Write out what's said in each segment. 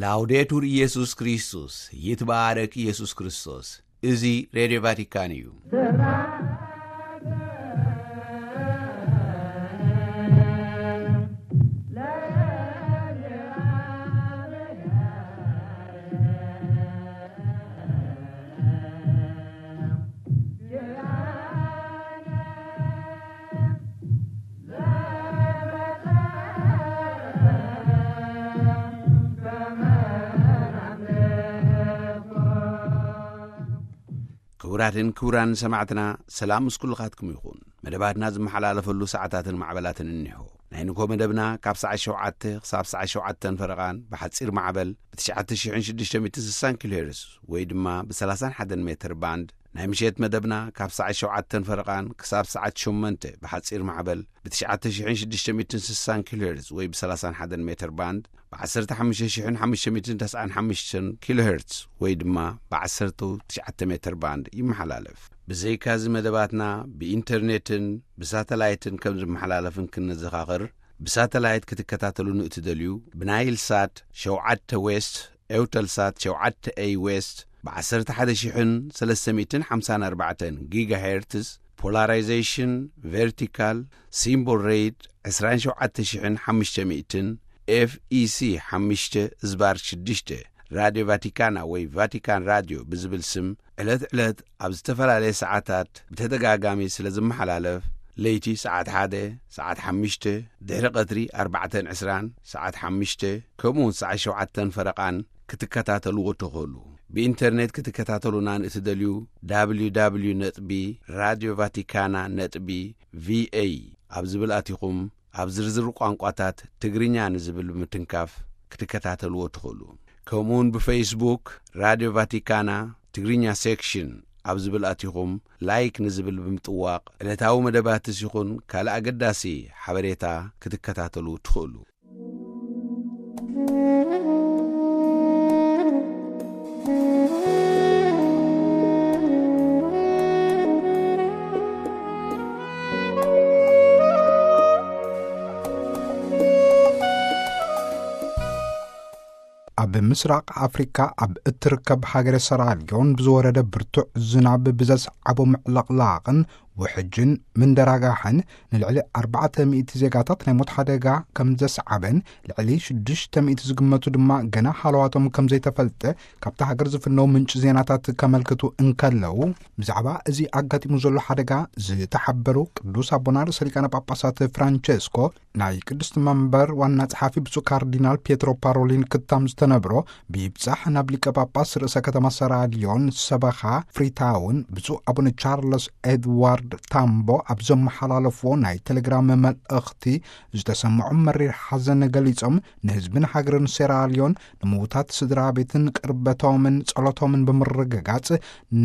ላውዴቱር ኢየሱስ ክርስቶስ፣ ይትባረክ ኢየሱስ ክርስቶስ። እዚ ሬድዮ ቫቲካን እዩ። ክቡራትን ክቡራን ሰማዕትና፣ ሰላም ምስ ኩልኻትኩም ይኹን። መደባትና ዝመሓላለፈሉ ሰዓታትን ማዕበላትን እኒሆ። ናይ ንግሆ መደብና ካብ ሰዓት ሸውዓተ ክሳብ ሰዓት ሸውዓተን ፈረቓን ብሓጺር ማዕበል ብ ትሽዓተ ሽሕን ሽዱሽተ ሚእትን ስሳን ኪሎ ሄርዝ ወይ ድማ ብ ሰላሳን ሓደን ሜትር ባንድ፣ ናይ ምሸት መደብና ካብ ሰዓት ሸውዓተን ፈረቓን ክሳብ ሰዓት ሸሞንተ ብሓጺር ማዕበል ብ ትሽዓተ ሽሕን ሽዱሽተ ሚእትን ስሳን ኪሎ ሄርዝ ወይ ብ ሰላሳን ሓደን ሜትር ባንድ፣ ብ ዓሰርተ ሓሙሽተ ሽሕን ሓሙሽተ ሚእትን ተስዓን ሓሙሽተን ኪሎ ሄርዝ ወይ ድማ ብ ዓሰርተ ትሽዓተ ሜትር ባንድ ይመሓላለፍ። ብዘይካዚ መደባትና ብኢንተርኔትን ብሳተላይትን ከም ዝመሓላለፍን ክንዘኻኽር፣ ብሳተላይት ክትከታተሉን እትደልዩ፣ ብናይል ሳት ሸውዓተ ዌስት፣ ኤውተልሳት ሸውዓተ ኤይ ዌስት፣ ብ ዓሰርተ ሓደ ሽሕን ሰለስተ ሚእትን ሓምሳን ኣርባዕተን ጊጋሄርትዝ፣ ፖላራይዜሽን ቨርቲካል፣ ሲምቦል ሬት ዕስራን ሸውዓተ ሽሕን ሓሙሽተ ሚእትን፣ ኤፍ ኢ ሲ ሓሙሽተ ዝባር ሽዱሽተ፣ ራድዮ ቫቲካና ወይ ቫቲካን ራድዮ ብዝብል ስም ዕለት ዕለት ኣብ ዝተፈላለየ ሰዓታት ብተደጋጋሚ ስለ ዝመሓላለፍ፣ ለይቲ ሰዓት ሓደ፣ ሰዓት ሓሙሽተ፣ ድሕሪ ቀትሪ ኣርባዕተን ዕስራን፣ ሰዓት ሓሙሽተ፣ ከምኡውን ሰዓት ሸውዓተን ፈረቓን ክትከታተልዎ ትኽእሉ። ብኢንተርኔት ክትከታተሉና ንእትደልዩ፣ ደብሊው ደብሊው ነጥቢ ራድዮ ቫቲካና ነጥቢ ቪ ኤ ኣብ ዝብል ኣቲኹም፣ ኣብ ዝርዝር ቋንቋታት ትግርኛ ንዝብል ብምትንካፍ ክትከታተልዎ ትኽእሉ። ከምኡውን ብፌስቡክ ራድዮ ቫቲካና ትግርኛ ሴክሽን ኣብ ዝብል ኣቲኹም፣ ላይክ ንዝብል ብምጥዋቕ፣ ዕለታዊ መደባትስ ይኹን ካልእ ኣገዳሲ ሓበሬታ ክትከታተሉ ትኽእሉ። ኣብ ምስራቕ ኣፍሪካ ኣብ እትርከብ ሃገረ ሰራልዮን ብዝወረደ ብርቱዕ ዝናብ ብዘስዓቦ ምዕልቕላቕን ውሕጅን ምንደራጋሕን ንልዕሊ ኣርባዕተ ሚእቲ ዜጋታት ናይ ሞት ሓደጋ ከም ዘስዓበን ልዕሊ ሽዱሽተ ሚእቲ ዝግመቱ ድማ ገና ሃለዋቶም ከም ዘይተፈልጠ ካብታ ሃገር ዝፍነው ምንጪ ዜናታት ከመልክቱ እንከለዉ፣ ብዛዕባ እዚ ኣጋጢሙ ዘሎ ሓደጋ ዝተሓበሩ ቅዱስ ኣቦና ርእሰ ሊቃነ ጳጳሳት ፍራንቸስኮ፣ ናይ ቅድስቲ መንበር ዋና ጸሓፊ ብፁዕ ካርዲናል ፒየትሮ ፓሮሊን ክታም ዝተነብሮ፣ ብይብጻሕ ናብ ሊቀ ጳጳስ ርእሰ ከተማ ሰራልዮን ሰበኻ ፍሪታውን ብፁዕ ኣቡነ ቻርለስ ኤድዋርድ ታምቦ ኣብ ዘመሓላለፍዎ ናይ ቴሌግራም መልእኽቲ ዝተሰምዖም መሪር ሓዘን ገሊጾም፣ ንህዝብን ሃገርን ሴራልዮን፣ ንምዉታት ስድራ ቤትን ቅርበቶምን ጸሎቶምን ብምርግጋጽ፣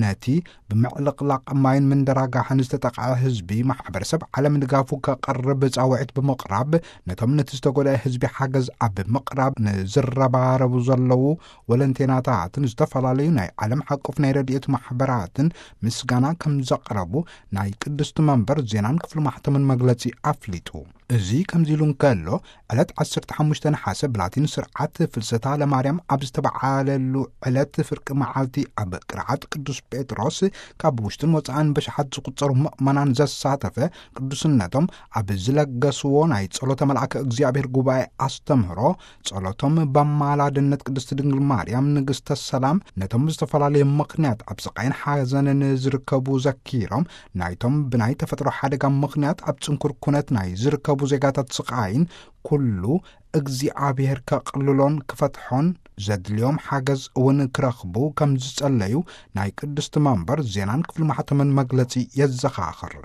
ነቲ ብምዕልቕላቕ ማይን ምንደራጋሕን ዝተጠቕዐ ህዝቢ፣ ማሕበረሰብ ዓለም ድጋፉ ከቕርብ ጻውዒት ብምቕራብ፣ ነቶም ነቲ ዝተጎድአ ህዝቢ ሓገዝ ኣብ ምቕራብ ንዝረባረቡ ዘለዉ ወለንቴናታትን ዝተፈላለዩ ናይ ዓለም ሓቆፍ ናይ ረድኤት ማሕበራትን ምስጋና ከም ዘቕረቡ ናይ ቅድስቲ መንበር ዜናን ክፍሊ ማሕተምን መግለጺ ኣፍሊጡ። እዚ ከምዚ ኢሉ እንከሎ፣ ዕለት ዓሰርተ ሓሙሽተ ነሓሰ ብላቲን ስርዓት ፍልሰታ ለማርያም ኣብ ዝተበዓለሉ ዕለት ፍርቂ መዓልቲ ኣብ ቅርዓት ቅዱስ ጴጥሮስ ካብ ውሽጥን ወጻእን በሽሓት ዝቑጸሩ ምእመናን ዘሳተፈ ቅዱስነቶም ኣብ ዝለገስዎ ናይ ጸሎተ መልኣከ እግዚኣብሔር ጉባኤ ኣስተምህሮ፣ ጸሎቶም በማላድነት ቅድስቲ ድንግል ማርያም ንግስተ ሰላም ነቶም ብዝተፈላለየ ምኽንያት ኣብ ስቓይን ሓዘንን ዝርከቡ ዘኪሮም፣ ናይቶም ብናይ ተፈጥሮ ሓደጋ ምኽንያት ኣብ ጽንኩር ኩነት ናይ ዝርከቡ ዜጋታት ስቓይን ኩሉ እግዚኣብሔር ከቕልሎን ክፈትሖን ዘድልዮም ሓገዝ እውን ክረኽቡ ከም ዝጸለዩ ናይ ቅድስቲ መንበር ዜናን ክፍሊ ማሕተምን መግለጺ የዘኻኽር።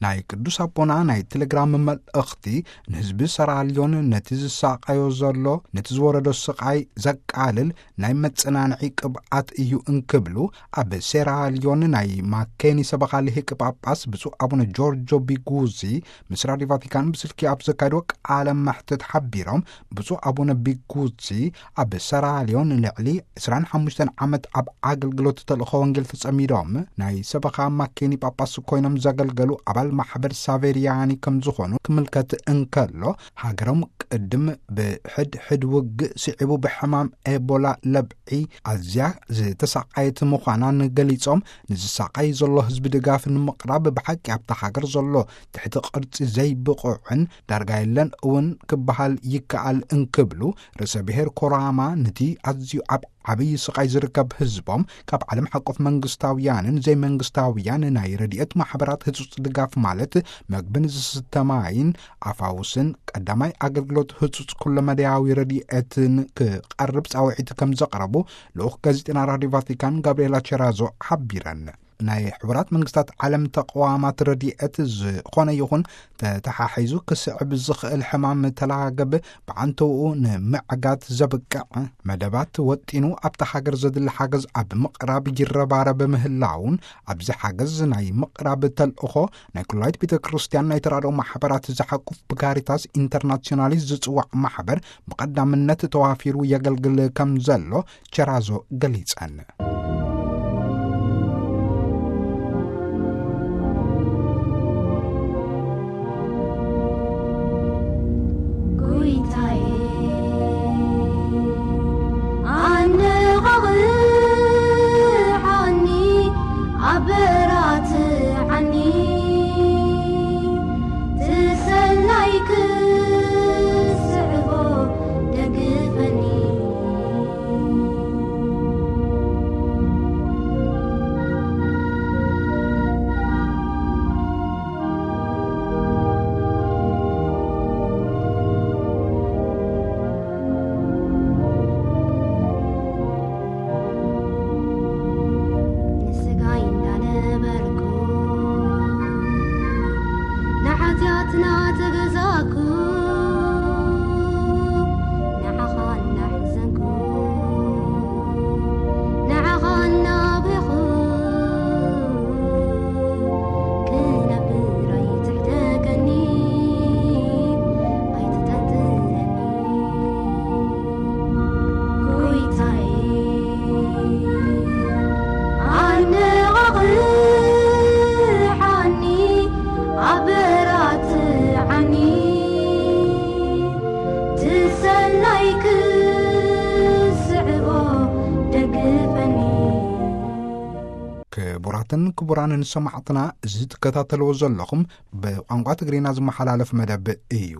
ናይ ቅዱስ ኣቦና ናይ ቴሌግራም መልእኽቲ ንህዝቢ ሰራልዮን ነቲ ዝሳቐዮ ዘሎ፣ ነቲ ዝወረዶ ስቓይ ዘቃልል ናይ መጸናንዒ ቅብኣት እዩ እንክብሉ፣ ኣብ ሴራልዮን ናይ ማኬኒ ሰበኻ ልሂቅ ጳጳስ ብፁዕ ኣቡነ ጆርጆ ቢጉዚ ምስ ራድዮ ቫቲካን ብስልኪ ኣብ ዘካየድዎ ቃለ መሕትት ሓቢሮም፣ ብፁዕ ኣቡነ ቢጉዚ ኣብ ሰራልዮን ንልዕሊ ዕስራን ሓሙሽተን ዓመት ኣብ ኣገልግሎት ተልእኾ ወንጌል ተጸሚዶም፣ ናይ ሰበኻ ማኬኒ ጳጳስ ኮይኖም ዘገልገሉ ኣባል ማሕበር ሳቬሪያኒ ከም ዝኾኑ ክምልከት እንከሎ፣ ሃገሮም ቅድም ብሕድ ሕድ ውግእ ስዒቡ ብሕማም ኤቦላ ለብዒ ኣዝያ ዝተሳቐየት ምዃናን ገሊጾም፣ ንዝሳቐይ ዘሎ ህዝቢ ድጋፍ ንምቕራብ ብሓቂ ኣብታ ሃገር ዘሎ ትሕቲ ቅርጺ ዘይብቑዕን ዳርጋ የለን እውን ክበሃል ይከኣል እንክብሉ፣ ርእሰ ብሔር ኮራማ ነቲ ኣዝዩ ኣብ ዓብዪ ስቓይ ዝርከብ ህዝቦም ካብ ዓለም ሓቆፍ መንግስታውያንን ዘይመንግስታውያን ናይ ረድኤት ማሕበራት ህጹጽ ድጋፍ ማለት መግብን ዝስተ ማይን ኣፋውስን ቀዳማይ ኣገልግሎት ህጹጽ ኩለመዳያዊ ረድኤትን ክቐርብ ጻውዒት ከም ዘቕረቡ ልኡኽ ጋዜጠና ራዲዮ ቫቲካን ጋብርኤላ ቸራዞ ሓቢረን። ናይ ሕቡራት መንግስታት ዓለም ተቕዋማት ረድኤት ዝኾነ ይኹን ተተሓሒዙ ክስዕብ ዝኽእል ሕማም ተላገብ ብዓንተውኡ ንምዕጋት ዘብቅዕ መደባት ወጢኑ ኣብታ ሃገር ዘድሊ ሓገዝ ኣብ ምቕራብ ይረባረብ ምህላውን፣ ኣብዚ ሓገዝ ናይ ምቕራብ ተልእኾ ናይ ኩላይት ቤተ ክርስቲያን ናይ ተራድኦ ማሕበራት ዝሓቁፍ ብካሪታስ ኢንተርናሲዮናሊስ ዝጽዋዕ ማሕበር ብቐዳምነት ተዋፊሩ የገልግል ከም ዘሎ ቸራዞ ገሊጸን። ጎይታዬ፣ ኣነቓቕሓኒ፣ ኣበራትዓኒ፣ ትሰናይ ክስዕቦ ደግፈኒ። ንስጋይ እንዳነበርኩ ንሓጢኣትና ተገዛእኩ፣ ንዓኻ እናሕዘንኩ፣ ንዓኻ እናብኸኹ ክነብር ኣይትሕደገኒ፣ ኣይትጠንጥነኒ። ጎይታዬ፣ ኣነቓቕሓኒ፣ ኣበራትዓኒ፣ ትሰናይ ክስዕቦ ደግፈኒ። ክቡራትን ክቡራንን ሰማዕትና፣ እዚ ትከታተልዎ ዘለኹም ብቋንቋ ትግርኛ ዝመሓላለፍ መደብ እዩ።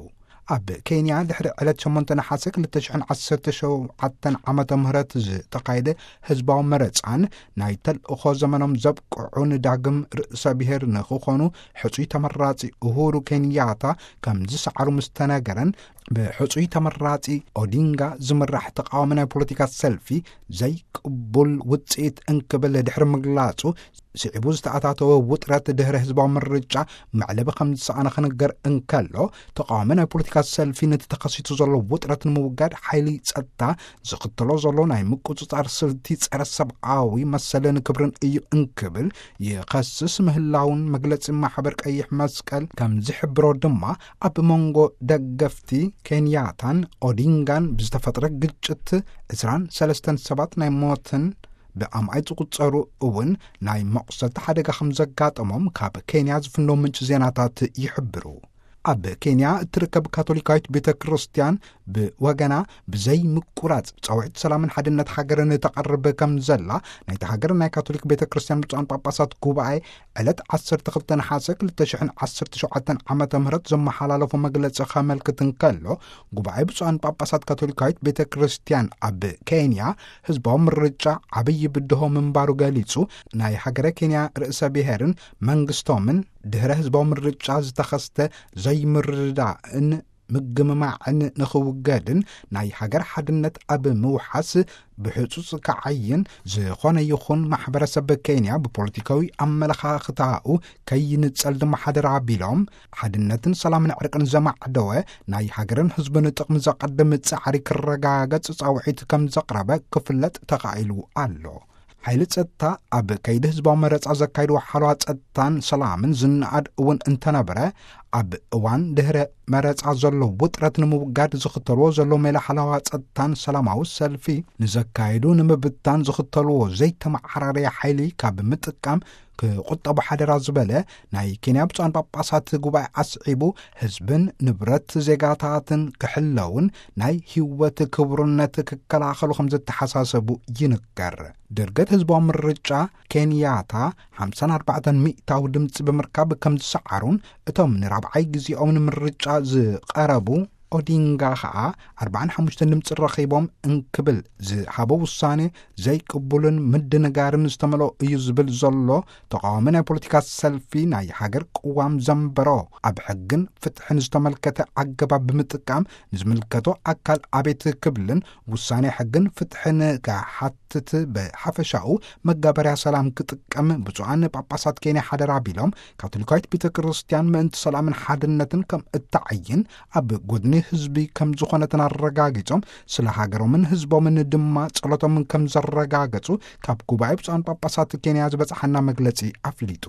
ኣብ ኬንያ ድሕሪ ዕለት ሸሞንተ ነሓሰ ክልተ ሽሕን ዓሰርተ ሸውዓተን ዓመተ ምህረት ዝተኻየደ ህዝባዊ መረጻን ናይ ተልእኾ ዘመኖም ዘብቅዑ ንዳግም ርእሰ ብሔር ንኽኾኑ ሕጹይ ተመራጺ ኡሁሩ ኬንያታ ከም ዝሰዓሩ ምስ ተነገረን፣ ብሕጹይ ተመራጺ ኦዲንጋ ዝምራሕ ተቃዋሚ ናይ ፖለቲካ ሰልፊ ዘይቅቡል ውጽኢት እንክብል ድሕሪ ምግላጹ፣ ስዒቡ ዝተኣታተወ ውጥረት ድሕሪ ህዝባዊ ምርጫ መዕለቢ ከም ዝሰኣነ ክንገር እንከሎ፣ ተቃዋሚ ናይ ፖለቲካ ሰልፊ ነቲ ተኸሲቱ ዘሎ ውጥረት ንምውጋድ ሓይሊ ጸጥታ ዝኽተሎ ዘሎ ናይ ምቁጽጻር ስልቲ ጸረ ሰብኣዊ መሰልን ክብርን እዩ እንክብል ይኸስስ ምህላውን መግለጺ ማሕበር ቀይሕ መስቀል ከም ዝሕብሮ ድማ፣ ኣብ መንጎ ደገፍቲ ኬንያታን ኦዲንጋን ብዝተፈጥረ ግጭት ዕስራን ሰለስተን ሰባት ናይ ሞትን ብኣማኢት ዝቑጸሩ እውን ናይ መቑሰልቲ ሓደጋ ከም ዘጋጠሞም ካብ ኬንያ ዝፍነው ምንጪ ዜናታት ይሕብሩ። ኣብ ኬንያ እትርከብ ካቶሊካዊት ቤተ ክርስቲያን ብወገና ብዘይ ምቁራጽ ጻውዒት ሰላምን ሓድነት ሃገርን ተቐርብ ከም ዘላ ናይታ ሃገር ናይ ካቶሊክ ቤተ ክርስቲያን ብፁዓን ጳጳሳት ጉባኤ ዕለት ዓሰርተ ክልተ ነሓሰ ክልተ ሽሕን ዓሰርተ ሸውዓተን ዓመተ ምህረት ዘመሓላለፎ መግለጺ ከመልክት እንከሎ፣ ጉባኤ ብፁዓን ጳጳሳት ካቶሊካዊት ቤተ ክርስቲያን ኣብ ኬንያ ህዝባዊ ምርጫ ዓብዪ ብድሆ ምንባሩ ገሊጹ፣ ናይ ሃገረ ኬንያ ርእሰ ብሔርን መንግስቶምን ድህረ ህዝባዊ ምርጫ ዝተኸስተ ዘይምርድዳእን ምግምማዕን ንኽውገድን ናይ ሃገር ሓድነት ኣብ ምውሓስ ብሕጹጽ ክዓይን፣ ዝኾነ ይኹን ማሕበረሰብ ኬንያ ብፖለቲካዊ ኣመለኻኽታኡ ከይንጸል ድማ ሓደራ ኣቢሎም፣ ሓድነትን ሰላምን ዕርቅን ዘማዕደወ ናይ ሃገርን ህዝብን ጥቕሚ ዘቐድም ጻዕሪ ክረጋገጽ ጻውዒት ከም ዘቕረበ ክፍለጥ ተኻኢሉ ኣሎ። ሓይሊ ጸጥታ ኣብ ከይዲ ህዝባዊ መረጻ ዘካይድዎ ሓለዋ ጸጥታን ሰላምን ዝነኣድ እውን እንተነበረ፣ ኣብ እዋን ድህረ መረጻ ዘሎ ውጥረት ንምውጋድ ዝኽተልዎ ዘሎ ሜላ ሓለዋ ጸጥታን ሰላማዊ ሰልፊ ንዘካይዱ ንምብታን ዝኽተልዎ ዘይተመዓራረየ ሓይሊ ካብ ምጥቃም ክቑጠቡ ሓደራ ዝበለ ናይ ኬንያ ብፁዓን ጳጳሳት ጉባኤ ኣስዒቡ፣ ህዝብን ንብረት ዜጋታትን ክሕለውን ናይ ህይወት ክቡርነት ክከላኸሉ ከም ዝተሓሳሰቡ ይንገር። ድርገት ህዝባዊ ምርጫ ኬንያታ ሓምሳን ኣርባዕተን ሚእታዊ ድምፂ ብምርካብ ከም ዝሰዓሩን፣ እቶም ንራብዓይ ግዜኦም ንምርጫ ዝቐረቡ ኦዲንጋ ኸዓ ኣርባዓን ሓሙሽተን ድምፂ ረኺቦም እንክብል ዝሃቦ ውሳኔ ዘይቅቡልን ምድንጋርን ዝተመልኦ እዩ ዝብል ዘሎ ተቃዋሚ ናይ ፖለቲካ ሰልፊ፣ ናይ ሃገር ቅዋም ዘንበሮ ኣብ ሕግን ፍትሕን ዝተመልከተ ኣገባብ ብምጥቃም ንዝምልከቶ ኣካል ኣቤት ክብልን ውሳኔ ሕግን ፍትሕን ክሓትት፣ ብሓፈሻኡ መጋበርያ ሰላም ክጥቀም ብፁዓን ጳጳሳት ኬንያ ሓደራ ቢሎም፣ ካቶሊካዊት ቤተ ክርስቲያን ምእንቲ ሰላምን ሓድነትን ከም እትዓይን ኣብ ጎድኒ ህዝቢ ከም ዝኾነትን ኣረጋጊጾም፣ ስለ ሃገሮምን ህዝቦምን ድማ ጸሎቶም ከም ዘረጋገጹ ካብ ጉባኤ ብፁዓን ጳጳሳት ኬንያ ዝበጽሓና መግለጺ ኣፍሊጡ።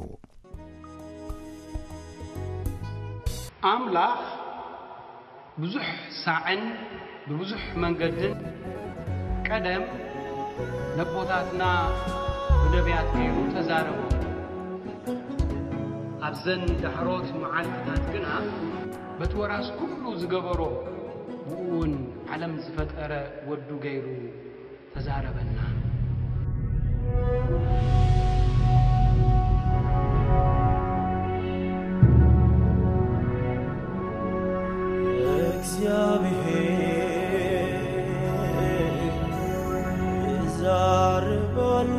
ኣምላኽ ብዙሕ ሳዕን ብብዙሕ መንገድን ቀደም ነቦታትና ብነቢያት ገይሩ ተዛረቦም። ኣብዘን ዳሕሮት መዓልትታት ግና በቲ ወራስ ኩሉ ዝገበሮ፣ ብኡ እውን ዓለም ዝፈጠረ ወዱ ገይሩ ተዛረበና። እግዚኣብሔር ይዛረብ ኣሎ።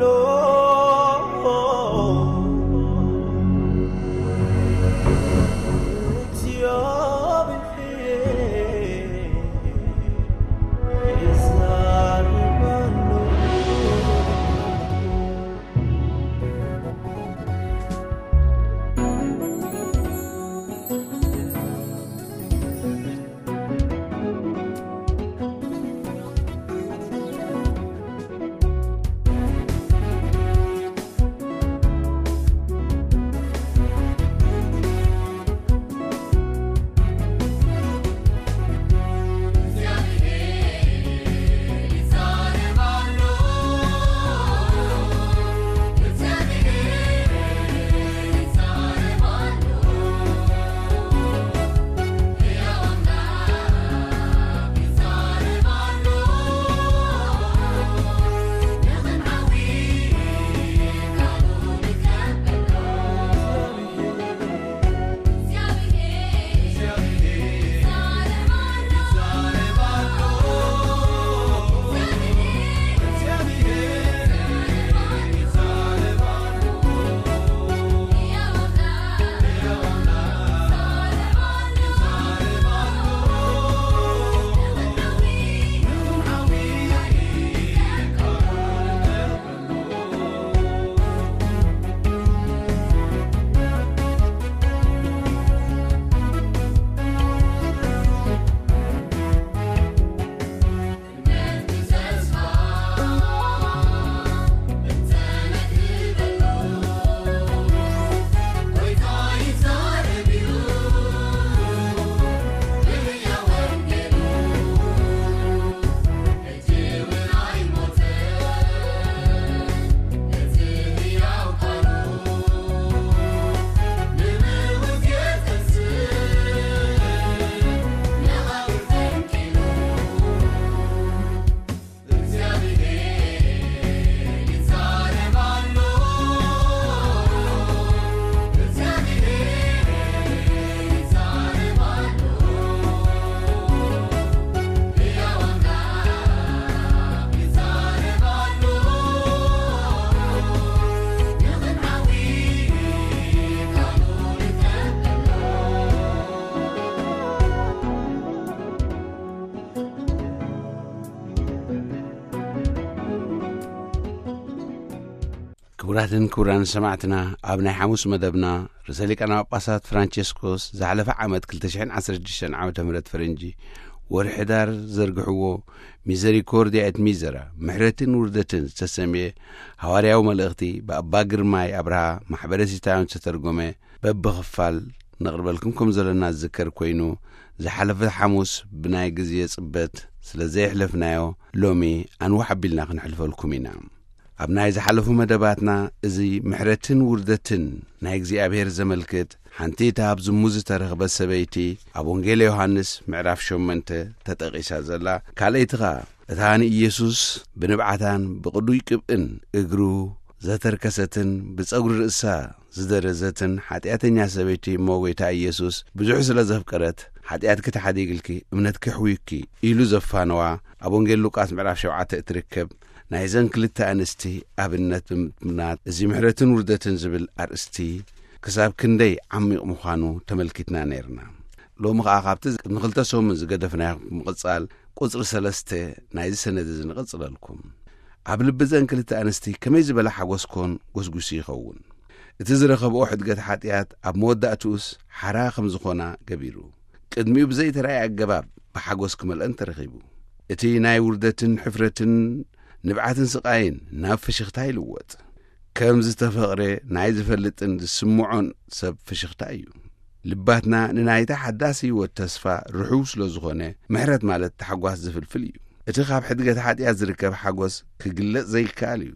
ክቡራትን ክቡራን ሰማዕትና፣ ኣብ ናይ ሓሙስ መደብና፣ ርእሰ ሊቃነ ጳጳሳት ፍራንቸስኮስ ዝሓለፈ ዓመት ክልተ ሽሕን ዓሰርተ ሽዱሽተን ዓመተ ምህረት ፈረንጂ ወርሒ ዳር ዘርግሕዎ ሚዘሪኮርዲያ ኤት ሚዘራ፣ ምሕረትን ውርደትን ዝተሰምየ ሃዋርያዊ መልእኽቲ ብኣባ ግርማይ ኣብርሃ ማሕበረ ሲታዮን ዝተተርጎመ በብኽፋል ነቕርበልኩም ከም ዘለና ዝዝከር ኮይኑ፣ ዝሓለፈ ሓሙስ ብናይ ግዜ ጽበት ስለ ዘየሕለፍናዮ፣ ሎሚ ኣንውሕ ኣቢልና ክንሕልፈልኩም ኢና። ኣብ ናይ ዝሓለፉ መደባትና፣ እዚ ምሕረትን ውርደትን ናይ እግዚኣብሔር ዘመልክት፣ ሓንቲ እታ ኣብ ዝሙት ዝተረኽበት ሰበይቲ ኣብ ወንጌል ዮሃንስ ምዕራፍ ሸሞንተ ተጠቒሳ ዘላ፣ ካልኣይቲ ኸኣ እታ ንኢየሱስ ብንብዓታን ብቕዱይ ቅብእን እግሩ ዘተርከሰትን ብጸጉሪ ርእሳ ዝደረዘትን ሓጢኣተኛ ሰበይቲ፣ እሞ ጐይታ ኢየሱስ ብዙሕ ስለ ዘፍቀረት፣ "ሓጢኣትኪ ተሓዲግልኪ፣ እምነትኪ ኣሕውዩኪ" ኢሉ ዘፋነዋ፣ ኣብ ወንጌል ሉቃስ ምዕራፍ ሸውዓተ እትርከብ ናይዘን ክልተ ኣንስቲ ኣብነት ብምጥማት፣ እዚ ምሕረትን ውርደትን ዝብል ኣርእስቲ ክሳብ ክንደይ ዓሚቕ ምዃኑ ተመልኪትና ነይርና። ሎሚ ኸኣ ካብቲ ቅድሚ ክልተ ሰሙን ዝገደፍናዮ ብምቕጻል፣ ቁጽሪ ሰለስተ ናይዚ ሰነድ እዚ ንቐጽለልኩም። ኣብ ልቢ እዘን ክልተ ኣንስቲ ከመይ ዝበለ ሓጎስ ኮን ጎስጒሱ ይኸውን? እቲ ዝረኸብኦ ሕድገት ሓጢኣት ኣብ መወዳእትኡስ ሓራ ከም ዝኾና ገቢሩ፣ ቅድሚኡ ብዘይተራእየ ኣገባብ ብሓጎስ ክመልአን ተረኺቡ። እቲ ናይ ውርደትን ሕፍረትን ንብዓትን ስቓይን ናብ ፍሽኽታ ይልወጥ። ከም ዝተፈቕረ ናይ ዝፈልጥን ዝስምዖን ሰብ ፍሽኽታ እዩ። ልባትና ንናይታ ሓዳስ ህይወት ተስፋ ርሑው ስለ ዝኾነ፣ ምሕረት ማለት ታሕጓስ ዝፍልፍል እዩ። እቲ ካብ ሕድገት ሓጢኣት ዝርከብ ሓጎስ ክግለጽ ዘይከኣል እዩ።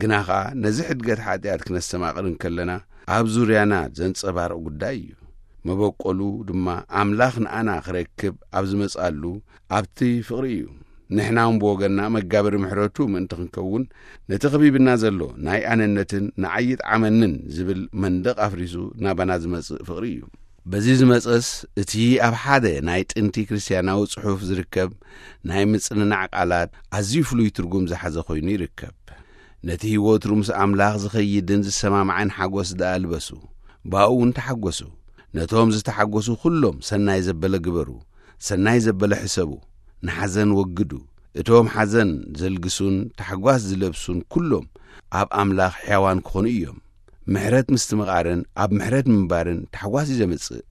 ግና ኸኣ ነዚ ሕድገት ሓጢኣት ክነስተማቕር እንከለና፣ ኣብ ዙርያና ዘንጸባርቕ ጉዳይ እዩ። መበቆሉ ድማ ኣምላኽ ንኣና ክረክብ ኣብ ዝመጽኣሉ ኣብቲ ፍቕሪ እዩ። ንሕና እውን ብወገንና መጋበሪ ምሕረቱ ምእንቲ ክንከውን፣ ነቲ ከቢብና ዘሎ ናይ ኣነነትን ንዓይ ይጥዓመንን ዝብል መንደቕ ኣፍሪሱ ናባና ዝመጽእ ፍቕሪ እዩ። በዚ ዝመጸስ፣ እቲ ኣብ ሓደ ናይ ጥንቲ ክርስትያናዊ ጽሑፍ ዝርከብ ናይ ምጽንናዕ ቃላት ኣዝዩ ፍሉይ ትርጉም ዝሓዘ ኮይኑ ይርከብ። "ነቲ ህይወት ሩምስ ኣምላኽ ዝኸይድን ዝሰማማዕን ሓጎስ ደኣ ልበሱ፣ ብኣኡ እውን ተሓጎሱ። ነቶም ዝተሓጎሱ ኩሎም ሰናይ ዘበለ ግበሩ፣ ሰናይ ዘበለ ሕሰቡ፣ ንሓዘን ወግዱ። እቶም ሓዘን ዘልግሱን ታሕጓስ ዝለብሱን ኩሎም ኣብ ኣምላኽ ሕያዋን ክኾኑ እዮም።" ምሕረት ምስትምቓርን ኣብ ምሕረት ምንባርን ታሕጓስ እዩ ዘምጽእ።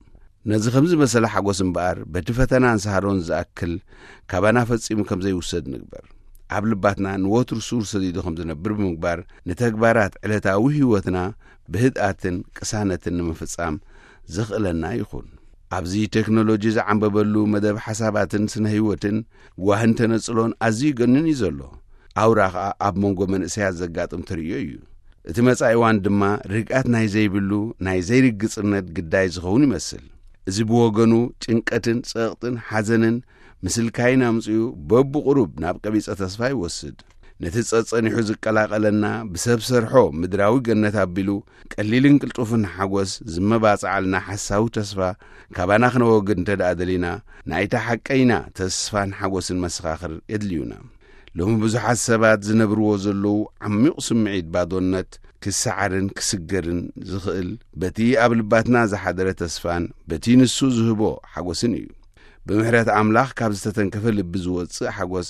ነዚ ከምዚ መሰለ ሓጎስ እምበኣር፣ በቲ ፈተናን ሳህሮን ዝኣክል ካባና ፈጺሙ ከም ዘይውሰድ ንግበር። ኣብ ልባትና ንወትሩ ሱር ሰዲዱ ከም ዝነብር ብምግባር፣ ንተግባራት ዕለታዊ ህይወትና ብህድኣትን ቅሳነትን ንምፍጻም ዘኽእለና ይኹን። ኣብዚ ቴክኖሎጂ ዝዓንበበሉ መደብ ሓሳባትን ስነ ህይወትን ጓህን ተነጽሎን ኣዝዩ ገኒን እዩ ዘሎ። ኣውራ ኸኣ ኣብ መንጎ መንእሰያት ዘጋጥም ተርእዮ እዩ። እቲ መጻኢ እዋን ድማ ርግኣት ናይ ዘይብሉ ናይ ዘይርግጽነት ግዳይ ዝኸውን ይመስል። እዚ ብወገኑ ጭንቀትን ጸቕጥን ሓዘንን ምስልካይን ኣምጺኡ በብቑሩብ ናብ ቀቢጸ ተስፋ ይወስድ። ነቲ ጸጸኒሑ ዝቀላቐለና ብሰብ ሰርሖ ምድራዊ ገነት ኣቢሉ ቀሊልን ቅልጡፍን ሓጎስ ዝመባጽዓልና ሓሳዊ ተስፋ ካባና ክነወግድ እንተ ደኣ ደሊና፣ ናይታ ሓቀይና ተስፋን ሓጎስን መሰኻኽር የድልዩና። ሎሚ ብዙሓት ሰባት ዝነብርዎ ዘለዉ ዓሚቕ ስምዒት ባዶነት ክሰዓርን ክስገርን ዝኽእል በቲ ኣብ ልባትና ዝሓደረ ተስፋን በቲ ንሱ ዝህቦ ሓጎስን እዩ። ብምሕረት ኣምላኽ ካብ ዝተተንከፈ ልቢ ዝወጽእ ሓጎስ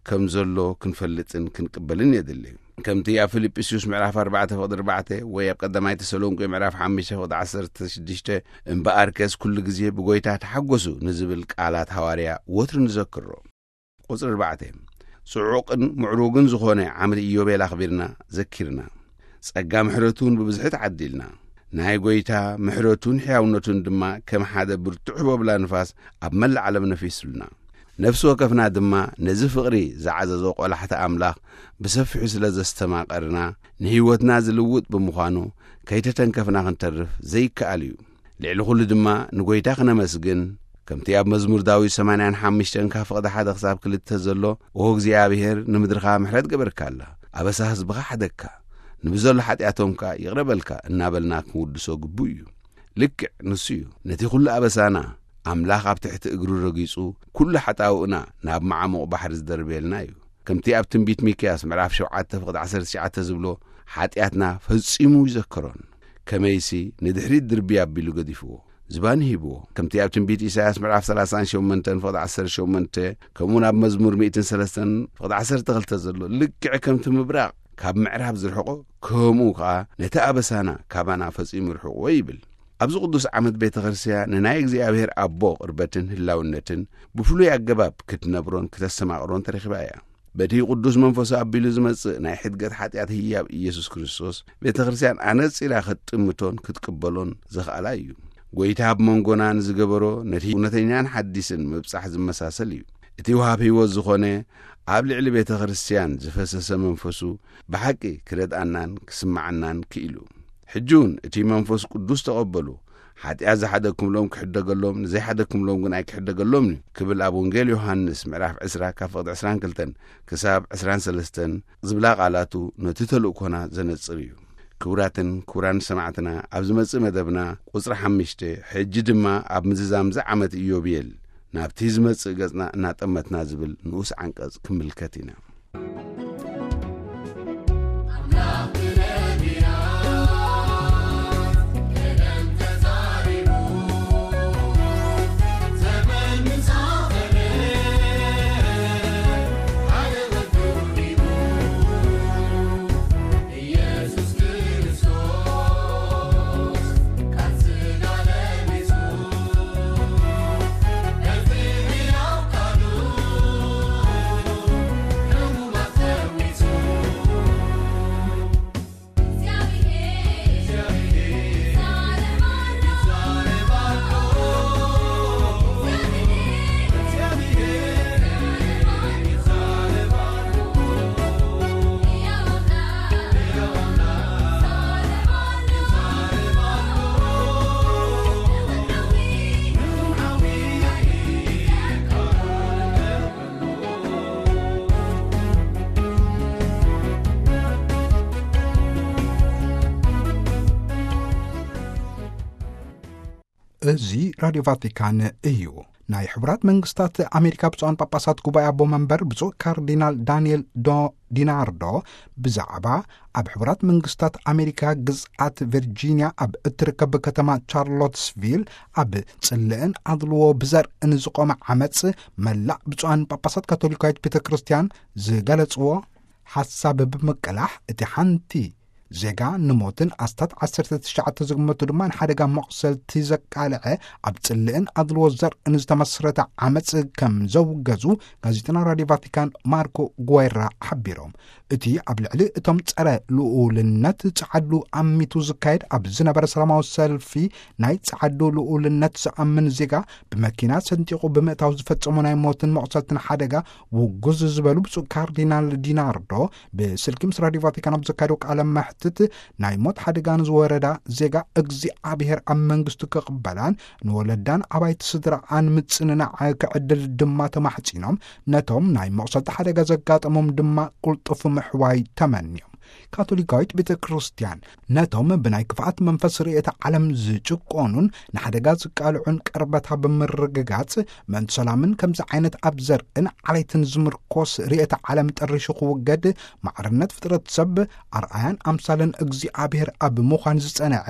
ከም ዘሎ ክንፈልጥን ክንቅበልን የድሊ። ከምቲ ኣብ ፊልጵስዩስ ምዕራፍ ኣርባዕተ ፍቕዲ ኣርባዕተ ወይ ኣብ ቀዳማይ ተሰሎንቄ ምዕራፍ ሓሙሽተ ፍቕዲ ዓሰርተ ሽዱሽተ "እምበኣርከስ ኩሉ ግዜ ብጎይታ ተሓጎሱ" ንዝብል ቃላት ሃዋርያ ወትሩ ንዘክሮ። ቁጽሪ ኣርባዕተ፣ ጽዑቕን ምዕሩግን ዝኾነ ዓመት ኢዮቤል ኣኽቢርና ዘኪርና፣ ጸጋ ምሕረቱን ብብዝሒ ተዓዲልና፣ ናይ ጐይታ ምሕረቱን ሕያውነቱን ድማ ከም ሓደ ብርቱዕ ህቦብላ ንፋስ ኣብ መላእ ዓለም ነፊሱልና። ነፍሲ ወከፍና ድማ ነዚ ፍቕሪ ዝዓዘዞ ቈላሕታ ኣምላኽ ብሰፊሑ ስለ ዘስተማቐርና፣ ንህይወትና ዝልውጥ ብምዃኑ፣ ከይተተንከፍና ክንተርፍ ዘይከኣል እዩ። ልዕሊ ኹሉ ድማ ንጐይታ ክነመስግን፣ ከምቲ ኣብ መዝሙር ዳዊት ሰማንያን ሓሙሽተን ካብ ፍቕዲ ሓደ ክሳብ ክልተ ዘሎ፣ "ኦ እግዚኣብሔር፣ ንምድርኻ ምሕረት ገበርካላ፣ ኣበሳ ህዝብኻ ሓደግካ፣ ንብዘሎ ሓጢኣቶም ከኣ ይቕረ በልካ" እናበልና ክንውድሶ ግቡእ እዩ። ልክዕ ንሱ እዩ ነቲ ኹሉ ኣበሳና ኣምላኽ ኣብ ትሕቲ እግሩ ረጊጹ፣ ኩሉ ሓጣውእና ናብ መዓሙቕ ባሕሪ ዝደርብየልና እዩ። ከምቲ ኣብ ትንቢት ሚክያስ ምዕራፍ ሸውዓተ ፍቕዲ ዓሰርተ ትሽዓተ ዝብሎ፣ ሓጢኣትና ፈጺሙ ይዘክሮን፣ ከመይሲ ንድሕሪት ድርቢ ኣቢሉ ገዲፍዎ፣ ዝባኑ ሂብዎ። ከምቲ ኣብ ትንቢት ኢሳያስ ምዕራፍ ሰላሳን ሸሞንተን ፍቕዲ ዓሰርተ ሸሞንተ፣ ከምኡውን ኣብ መዝሙር ሚእትን ሰለስተን ፍቕዲ ዓሰርተ ክልተ ዘሎ፣ ልክዕ ከምቲ ምብራቕ ካብ ምዕራብ ዝርሕቆ፣ ከምኡ ከኣ ነቲ ኣበሳና ካባና ፈጺሙ ይርሕቕዎ ይብል። ኣብዚ ቅዱስ ዓመት ቤተ ክርስቲያን ንናይ እግዚኣብሔር ኣቦ ቅርበትን ህላውነትን ብፍሉይ ኣገባብ ክትነብሮን ክተስተማቕሮን ተረኺባ እያ። በቲ ቅዱስ መንፈሱ ኣቢሉ ዝመጽእ ናይ ሕድገት ሓጢኣት ህያብ ኢየሱስ ክርስቶስ፣ ቤተ ክርስቲያን ኣነጺራ ክትጥምቶን ክትቅበሎን ዘኽኣላ እዩ። ጐይታ ኣብ መንጎና ንዝገበሮ ነቲ እውነተኛን ሓዲስን ምብጻሕ ዝመሳሰል እዩ። እቲ ወሃብ ህይወት ዝኾነ ኣብ ልዕሊ ቤተ ክርስቲያን ዝፈሰሰ መንፈሱ ብሓቂ ክረድኣናን ክስምዓናን ክኢሉ። ሕጂ እውን እቲ መንፈስ ቅዱስ ተቐበሉ፣ ሓጢኣት ዝሓደግኩምሎም ክሕደገሎም፣ ንዘይሓደግኩምሎም ግን ኣይክሕደገሎምን እዩ ክብል ኣብ ወንጌል ዮሃንስ ምዕራፍ ዕስራ ካብ ፍቕዲ ዕስራን ክልተን ክሳብ ዕስራን ሰለስተን ዝብላ ቃላቱ ነቲ ተልእኮና ዘነጽር እዩ። ክቡራትን ክቡራን ሰማዕትና፣ ኣብ ዝመጽእ መደብና ቁጽሪ ሓሙሽተ፣ ሕጂ ድማ ኣብ ምዝዛም ዝዓመት ኢዮቤል ናብቲ ዝመጽእ ገጽና እናጠመትና ዝብል ንኡስ ዓንቀጽ ክምልከት ኢና። እዚ ራድዮ ቫቲካን እዩ። ናይ ሕቡራት መንግስታት ኣሜሪካ ብፁዓን ጳጳሳት ጉባኤ ኣቦ መንበር ብፁዕ ካርዲናል ዳንኤል ዶ ዲናርዶ ብዛዕባ ኣብ ሕቡራት መንግስታት ኣሜሪካ ግዝኣት ቪርጂንያ ኣብ እትርከብ ከተማ ቻርሎትስቪል ኣብ ጽልእን ኣድልዎ ብዘርእን ዝቖመ ዓመጽ፣ መላእ ብፁዓን ጳጳሳት ካቶሊካዊት ቤተ ክርስቲያን ዝገለጽዎ ሓሳብ ብምቅላሕ፣ እቲ ሓንቲ ዜጋ ንሞትን ኣስታት ዓሰርተ ትሽዓተ ዝግመቱ ድማ ንሓደጋ መቑሰልቲ ዘቃልዐ ኣብ ጽልእን ኣድልዎ ዘርእን ዝተመስረተ ዓመጽ ከም ዘውገዙ ጋዜጠና ራድዮ ቫቲካን ማርኮ ጉዌራ ሓቢሮም። እቲ ኣብ ልዕሊ እቶም ጸረ ልኡልነት ጸዓዱ ኣሚቱ ዝካየድ ኣብ ዝነበረ ሰላማዊ ሰልፊ ናይ ጸዓዱ ልኡልነት ዝኣምን ዜጋ ብመኪና ሰንጢቑ ብምእታው ዝፈጸሞ ናይ ሞትን መቑሰልትን ሓደጋ ውጉዝ ዝበሉ ብፁዕ ካርዲናል ዲናርዶ ብስልኪ ምስ ራድዮ ቫቲካን ኣብ ዘካየዶ ቃለ መሕትት፣ ናይ ሞት ሓደጋ ንዝወረዳ ዜጋ እግዚኣብሔር ኣብ መንግስቱ ክቕበላን ንወለዳን ኣባይቲ ስድራኣን ምጽንናዕ ክዕድል ድማ ተማሕጺኖም፣ ነቶም ናይ መቑሰልቲ ሓደጋ ዘጋጠሞም ድማ ቅልጡፍ ምሕዋይ ተመንዮም። ካቶሊካዊት ቤተ ክርስቲያን ነቶም ብናይ ክፍኣት መንፈስ ርእየተ ዓለም ዝጭቆኑን ንሓደጋ ዝቃልዑን ቅርበታ ብምርግጋጽ፣ ምእንቲ ሰላምን ከምዚ ዓይነት ኣብ ዘርእን ዓሌትን ዝምርኮስ ርእየተ ዓለም ጠሪሹ ክውገድ፣ ማዕርነት ፍጥረት ሰብ ኣርኣያን ኣምሳልን እግዚኣብሔር ኣብ ምዃን ዝጸንዐ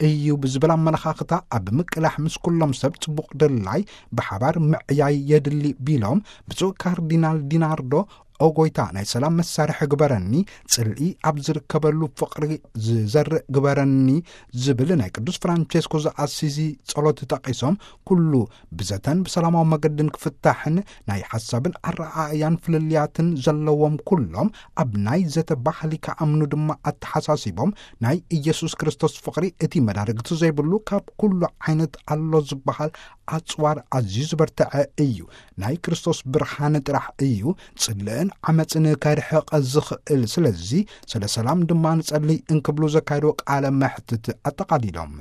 እዩ ብዝብል ኣመለኻኽታ ኣብ ምቅላሕ፣ ምስ ኩሎም ሰብ ጽቡቕ ድላይ ብሓባር ምዕያይ የድሊ ቢሎም፣ ብፁዕ ካርዲናል ዲናርዶ፣ "ኦ ጎይታ፣ ናይ ሰላም መሳርሒ ግበረኒ፣ ጽልኢ ኣብ ዝርከበሉ ፍቕሪ ዝዘርእ ግበረኒ" ዝብል ናይ ቅዱስ ፍራንቼስኮ ዘኣሲዚ ጸሎት ጠቒሶም፣ ኩሉ ብዘተን ብሰላማዊ መገድን ክፍታሕን ናይ ሓሳብን ኣረኣእያን ፍልልያትን ዘለዎም ኩሎም ኣብ ናይ ዘተ ባህሊ ክኣምኑ ድማ ኣተሓሳሲቦም፣ ናይ ኢየሱስ ክርስቶስ ፍቕሪ እቲ መዳርግቲ ዘይብሉ ካብ ኩሉ ዓይነት ኣሎ ዝበሃል ኣጽዋር ኣዝዩ ዝበርትዐ እዩ። ናይ ክርስቶስ ብርሃን ጥራሕ እዩ ጽልእን ዓመጽን ከርሕቕ ዝኽእል። ስለዚ ስለ ሰላም ድማ ንጸልይ እንክብሉ ዘካየድዎ ቃለ መሕትት ኣጠቓሊሎም።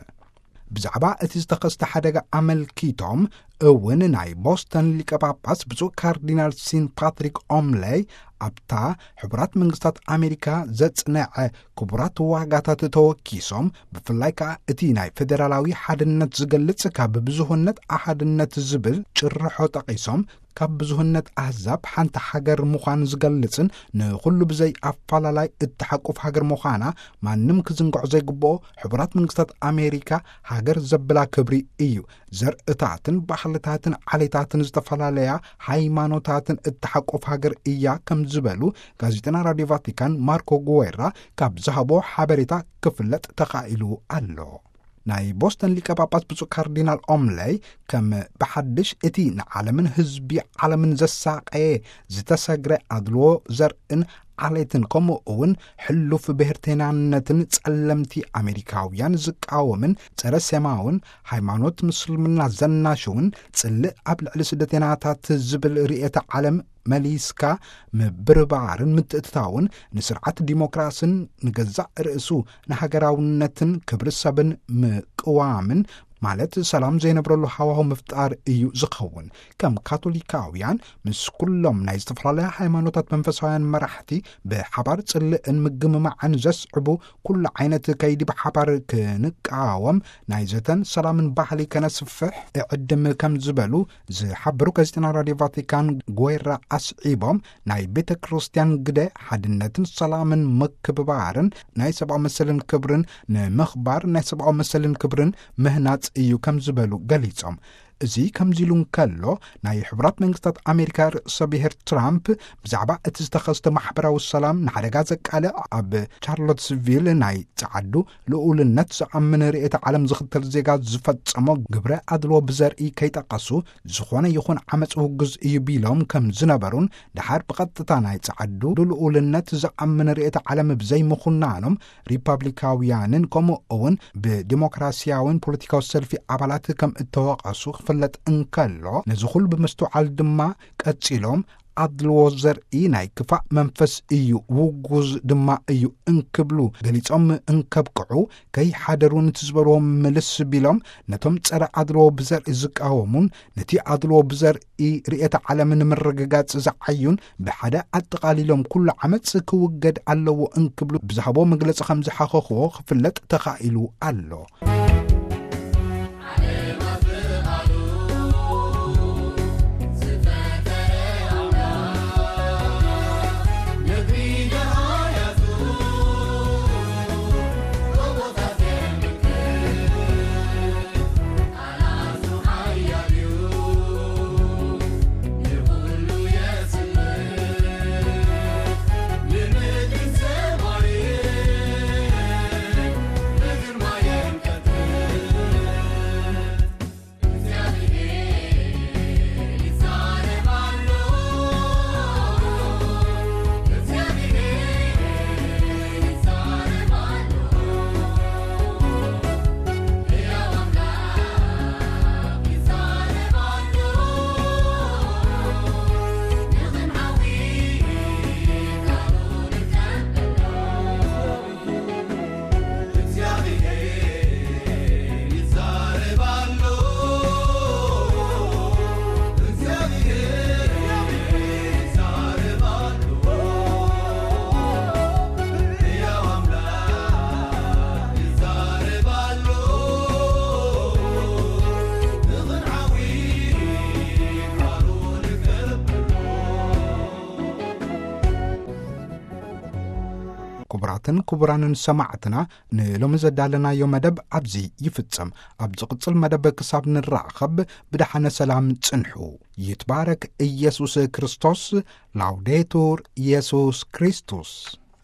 ብዛዕባ እቲ ዝተኸስተ ሓደጋ ኣመልኪቶም እውን ናይ ቦስተን ሊቀ ጳጳስ ብፁዕ ካርዲናል ሲን ፓትሪክ ኦምለይ ኣብታ ሕቡራት መንግስታት ኣሜሪካ ዘጽንዐ ክቡራት ዋጋታት ተወኪሶም፣ ብፍላይ ከኣ እቲ ናይ ፌደራላዊ ሓድነት ዝገልጽ ካብ ብዙህነት ኣሓድነት ዝብል ጭርሖ ጠቒሶም፣ ካብ ብዙህነት ኣህዛብ ሓንቲ ሃገር ምዃን ዝገልጽን ንኹሉ ብዘይ ኣፈላላይ እትሓቁፍ ሃገር ምዃና ማንም ክዝንግዖ ዘይግብኦ፣ ሕቡራት መንግስታት ኣሜሪካ ሃገር ዘብላ ክብሪ እዩ። ዘርእታትን ባህልታትን ዓሌታትን ዝተፈላለያ ሃይማኖታትን እትሓቁፍ ሃገር እያ ከም ዝበሉ ጋዜጠና ራድዮ ቫቲካን ማርኮ ጉዌራ ካብ ዝሃቦ ሓበሬታ ክፍለጥ ተኻኢሉ ኣሎ። ናይ ቦስተን ሊቀ ጳጳስ ብፁዕ ካርዲናል ኦምለይ ከም ብሓድሽ እቲ ንዓለምን ህዝቢ ዓለምን ዘሳቀየ ዝተሰግረ ኣድልዎ ዘርእን ዓሌትን ከምኡ እውን ሕሉፍ ብሔርተይናነትን ጸለምቲ ኣሜሪካውያን ዝቃወምን ጸረ ሴማውን ሃይማኖት ምስልምና ዘናሽውን ጽልእ ኣብ ልዕሊ ስደተይናታት ዝብል ርእየተ ዓለም መሊስካ ምብርባርን ምትእትታውን ንስርዓት ዲሞክራስን ንገዛእ ርእሱ ንሃገራውነትን ክብሪ ሰብን ምቅዋምን ማለት ሰላም ዘይነብረሉ ሃዋሁ ምፍጣር እዩ ዝኸውን። ከም ካቶሊካውያን ምስ ኩሎም ናይ ዝተፈላለያ ሃይማኖታት መንፈሳውያን መራሕቲ ብሓባር ጽልእን ምግምማዕን ዘስዕቡ ኩሉ ዓይነት ከይዲ ብሓባር ክንቃወም ናይ ዘተን ሰላምን ባህሊ ከነስፍሕ እዕድም ከም ዝበሉ ዝሓበሩ ጋዜጠና ራድዮ ቫቲካን ጎይራ ኣስዒቦም፣ ናይ ቤተ ክርስቲያን ግደ ሓድነትን ሰላምን ምክብባርን ናይ ሰብኣዊ መሰልን ክብርን ንምኽባር ናይ ሰብኣዊ መሰልን ክብርን ምህናጽ እዩ ከም ዝበሉ ገሊጾም። እዚ ከምዚ ኢሉ እንከሎ፣ ናይ ሕቡራት መንግስታት ኣሜሪካ ርእሰ ብሔር ትራምፕ ብዛዕባ እቲ ዝተኸስተ ማሕበራዊ ሰላም ንሓደጋ ዘቃልዕ ኣብ ቻርሎትስቪል ናይ ጸዓዱ ልኡልነት ዝኣምን ርእየተ ዓለም ዝኽተል ዜጋ ዝፈጸሞ ግብረ ኣድልዎ ብዘርኢ ከይጠቐሱ፣ ዝኾነ ይኹን ዓመፅ ውጉዝ እዩ ቢሎም ከም ዝነበሩን፣ ደሓር ብቐጥታ ናይ ጸዓዱ ልኡልነት ዝኣምን ርእየተ ዓለም ብዘይምኹናኖም፣ ሪፓብሊካውያንን ከምኡ እውን ብዲሞክራሲያውን ፖለቲካዊ ሰልፊ ኣባላት ከም እተወቐሱ ክፍለጥ እንከሎ፣ ነዚ ኩሉ ብምስትውዓል ድማ ቀጺሎም፣ ኣድልዎ ዘርኢ ናይ ክፋእ መንፈስ እዩ፣ ውጉዝ ድማ እዩ እንክብሉ ገሊጾም እንከብቅዑ፣ ከይሓደሩ ነቲ ዝበልዎ ምልስ ቢሎም፣ ነቶም ጸረ ኣድልዎ ብዘርኢ ዝቃወሙን ነቲ ኣድልዎ ብዘርኢ ርእየተ ዓለም ንምርግጋጽ ዝዓዩን ብሓደ ኣጠቓሊሎም ኩሉ ዓመጽ ክውገድ ኣለዎ እንክብሉ ብዝሃቦ መግለጺ ከም ዝሓኸኽዎ ክፍለጥ ተኻኢሉ ኣሎ። ክቡራትን ክቡራንን ሰማዕትና፣ ንሎሚ ዘዳለናዮ መደብ ኣብዚ ይፍጸም። ኣብ ዝቕጽል መደብ ክሳብ ንራኸብ ብደሓነ ሰላም ጽንሑ። ይትባረክ ኢየሱስ ክርስቶስ። ላውዴቱር ኢየሱስ ክርስቶስ።